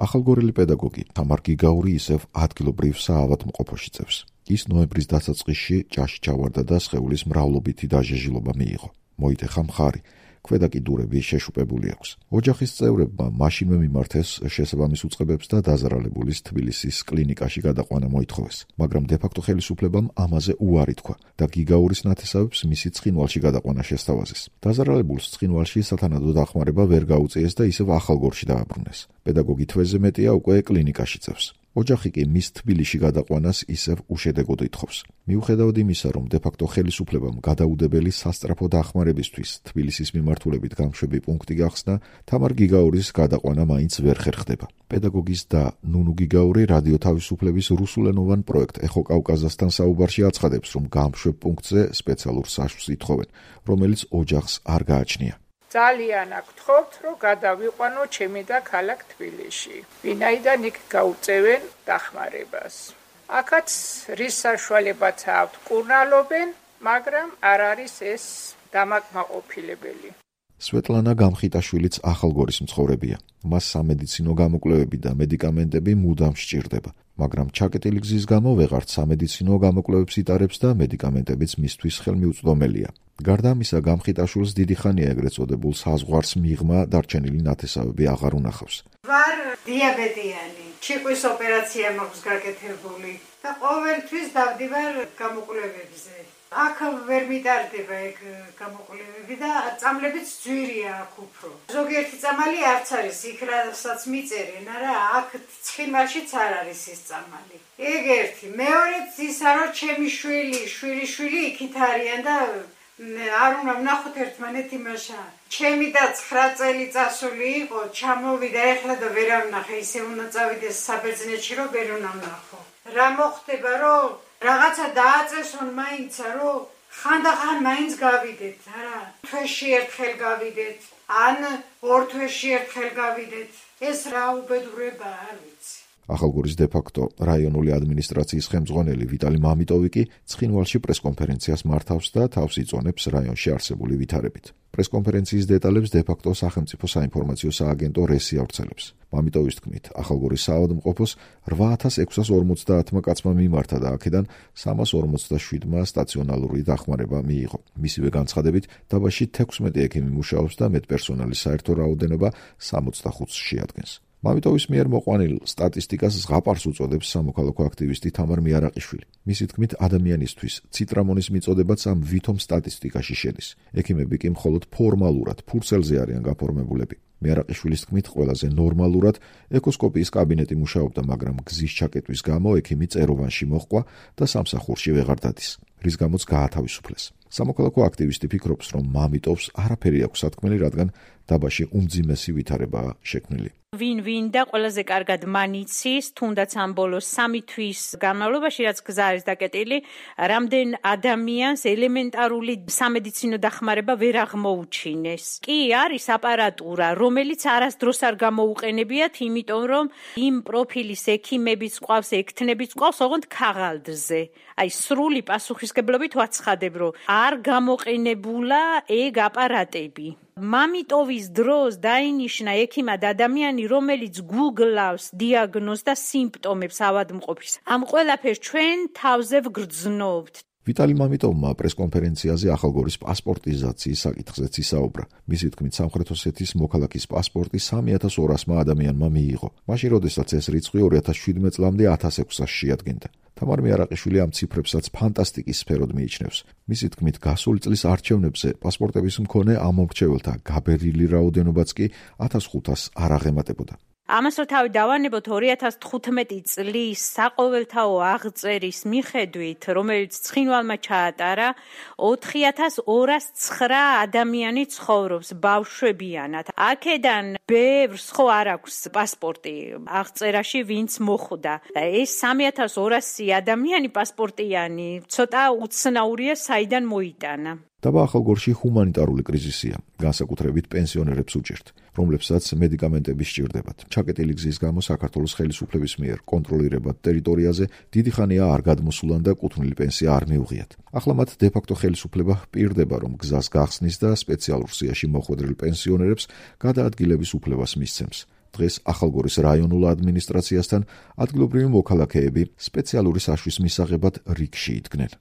ახალგორელი პედაგოგი თამარ გიგაური ისევ ადგილობრივ საავადმყოფოში წევს. ის ნოემბრის დასაწყისში ჭაში ჩავარდა და სხეულის მრავლობითი დაჟეჟილობა მიიღო. მოიტეხა მხარი. ქვედა კიდურები შეშუპებული აქვს. ოჯახის წევრებმა მაშინვე მიმართეს შესაბამის უწყებებს და დაზარალებულის თბილისის კლინიკაში გადაყვანა მოითხოვეს, მაგრამ დე-ფაქტო ხელისუფლებამ ამაზე უარი თქვა და გიგაურის ნათესავებს მისი ცხინვალში გადაყვანა შესთავაზეს. დაზარალებულს ცხინვალში სათანადო დახმარება ვერ გაუწიეს და ისევ ახალგორში დააბრუნეს. პედაგოგი თვეზე მეტია უკვე კლინიკაში წევს. ოჯახი კი მის თბილისში გადაყვანას ისევ უშედეგოდ ითხოვს. მიუხედავად იმისა, რომ დე-ფაქტო ხელისუფლებამ გადაუდებელი სასწრაფო დახმარებისთვის თბილისის მიმართულებით გამშვები პუნქტი გახსნა, თამარ გიგაურის გადაყვანა მაინც ვერ ხერხდება. პედაგოგის და ნუნუ გიგაური რადიო თავისუფლების რუსულენოვან პროექტ ეხო კავკაზასთან საუბარში აცხადებს, რომ გამშვებ პუნქტზე სპეციალურ საშუს ითხოვენ, რომელიც ოჯახს არ გააჩნია. ძალიან აგთხოვთ, რომ გადავიყვანო ჩემი და ქალაქ თბილისში. ვინაიდან იქ გაუწევენ დახმარებას. აქაც რის საშუალებაც აქვთ კურნალობენ, მაგრამ არ არის ეს დამაკმაყოფილებელი. სვეტლანა გამხიტაშვილიც ახალგორის მცხოვრებია. მას სამედიცინო გამოკვლევები და მედიკამენტები მუდამ სჭირდება, მაგრამ ჩაკეტილი გზის გამო ვეღარც სამედიცინო გამოკვლევებს იტარებს და მედიკამენტებიც მისთვის ხელმიუწვდომელია. გარდა ამისა, გამხიტაშვილს დიდი ხანია ეგრეთ წოდებულ საზღვარს მიღმა დარჩენილი ნათესავები აღარ უნახავს. ვარ დიაბეტიანი, ჩიყვის ოპერაცია მაქვს გაკეთებული და ყოველთვის დავდივარ გამოკვლევებზე. აქ ვერ მიტარდება ეგ გამოკვლევები და წამლებიც ძვირია აქ უფრო. ზოგიერთი წამალი არც არის, იქ რასაც მიწერენ, არა, აქ ცხინვალშიც არ არის ის წამალი. ეგ ერთი. მეორეც ისა, რომ ჩემი შვილი იქით არიან და არ უნდა ვნახოთ ერთმანეთ იმაშა. ჩემი და 9 წელი წასული იყო, ჩამოვიდა ეხლა და ვერ ამნახე, ისე უნდა წავიდეს საბერძნეთში, რომ ვერ უნდა ვნახო. რა მოხდება, რომ რაღაცა დააწესონ მაინცა, რომ ხანდახან მაინც გავიდეთ, არა? თვეში ერთხელ გავიდეთ, ან 2 თვეში ერთხელ გავიდეთ. ეს რა უბედურებაა, არ ვიცი. ახალგორის დე-ფაქტო რაიონული ადმინისტრაციის ხელმძღვანელი ვიტალი მამიტოვი კი ცხინვალში პრესკონფერენციას მართავს და თავს იწონებს რაიონში არსებული ვითარებით. პრესკონფერენციის დეტალებს დე-ფაქტო სახელმწიფო საინფორმაციო სააგენტო რესი ავრცელებს. მამიტოვის თქმით, ახალგორის საავადმყოფოს 8650 კაცმა მიმართა და აქედან 347-მა სტაციონალური დახმარება მიიღო. მისივე განცხადებით, დაბაში 16 ექიმი მუშაობს და მედპერსონალის საერთო რაოდენობა 65-ს შეადგენს. მამიტოვის მიერ მოყვანილ სტატისტიკას ზღაპარს უწოდებს სამოქალაქო აქტივისტი თამარ მიარაყიშვილი. მისი თქმით, ადამიანისთვის ციტრამონის მიწოდებაც ამ ვითომ სტატისტიკაში შედის. ექიმები კი მხოლოდ ფორმალურად ფურცელზე არიან გაფორმებულები. მიარაყიშვილის თქმით, ყველაზე ნორმალურად ეკოსკოპიის კაბინეტი მუშაობდა, მაგრამ გზის ჩაკეტვის გამო ექიმი წეროვანში მოჰყვა და სამსახურში ვეღარ დადის, რის გამოც გაათავისუფლეს. სამოქალაქო აქტივისტი ფიქრობს, რომ მამიტოვს არაფერი აქვს სათქმელი, რადგან დაბაში უმძიმესი ვითარებაა შექმნილი. ვინ და ყველაზე კარგად მანიცის, თუნდაც ამ ბოლოს 3 თვის განმავლობაში, რაც გზა არის დაკეტილი, რამდენ ადამიანს ელემენტარული სამედიცინო დახმარება ვერ აღმოუჩინეს. კი არის აპარატურა, რომელიც არასდროს არ გამოუყენებიათ, იმიტომ რომ იმ პროფილის ექიმებიც ყავს, ექთნებიც ყავს, ოღონდ ქაღალდზე. აი სრული პასუხისგებლობით ვაცხადებ, რომ არ გამოყენებულა ეგ აპარატები. მამიტოვის დროს დაინიშნა ექიმად ადამიანი, რომელიც გუგლავს დიაგნოზს და სიმპტომებს ავადმყოფის. ამ ყველაფერს ჩვენ თავზე ვგრძნობთ. ვიტალი მამიტოვმა პრესკონფერენციაზე ახალგორის პასპორტიზაციის საკითხზეც ისაუბრა. მისი თქმით, სამხრეთ ოსეთის მოქალაქის პასპორტი 3200-მა ადამიანმა მიიღო. მაშინ, როდესაც ეს რიცხვი 2017 წლამდე 1600-ს შეადგენდა. თამარ მიარაყიშვილი ამ ციფრებსაც ფანტასტიკის სფეროდ მიიჩნევს. მისი თქმით, გასული წლის არჩევნებზე პასპორტების მქონე ამომრჩეველთა გაბერილი რაოდენობაც კი 1500-ს არ აღემატებოდა. ამას რო თავი დავანებოთ 2015 წლის საყოველთაო აღწერის მიხედვით, რომელიც ცხინვალმა ჩაატარა, 4209 ადამიანი ცხოვრობს ბავშვებიანად. აქედან ბევრს ხო არ აქვს პასპორტი აღწერაში, ვინც მოხვდა. ეს 3200 ადამიანი პასპორტიანი ცოტა უცნაურია, საიდან მოიტანა. დაბა ახალგორში ჰუმანიტარული კრიზისია, განსაკუთრებით პენსიონერებს უჭირთ, რომლებსაც მედიკამენტები სჭირდებათ. ჩაკეტილი გზის გამო საქართველოს ხელისუფლების მიერ კონტროლირებად ტერიტორიაზე დიდი ხანია არ გადმოსულან და კუთვნილი პენსია არ მიუღიათ. ახლა მათ დე-ფაქტო ხელისუფლება პირდება, რომ გზას გახსნის და სპეციალურ სიაში მოხვედრილ პენსიონერებს გადაადგილების უფლებას მისცემს. დღეს ახალგორის რაიონულ ადმინისტრაციასთან ადგილობრივი მოქალაქეები სპეციალური საშვის მისაღებად რიგში იდგნენ.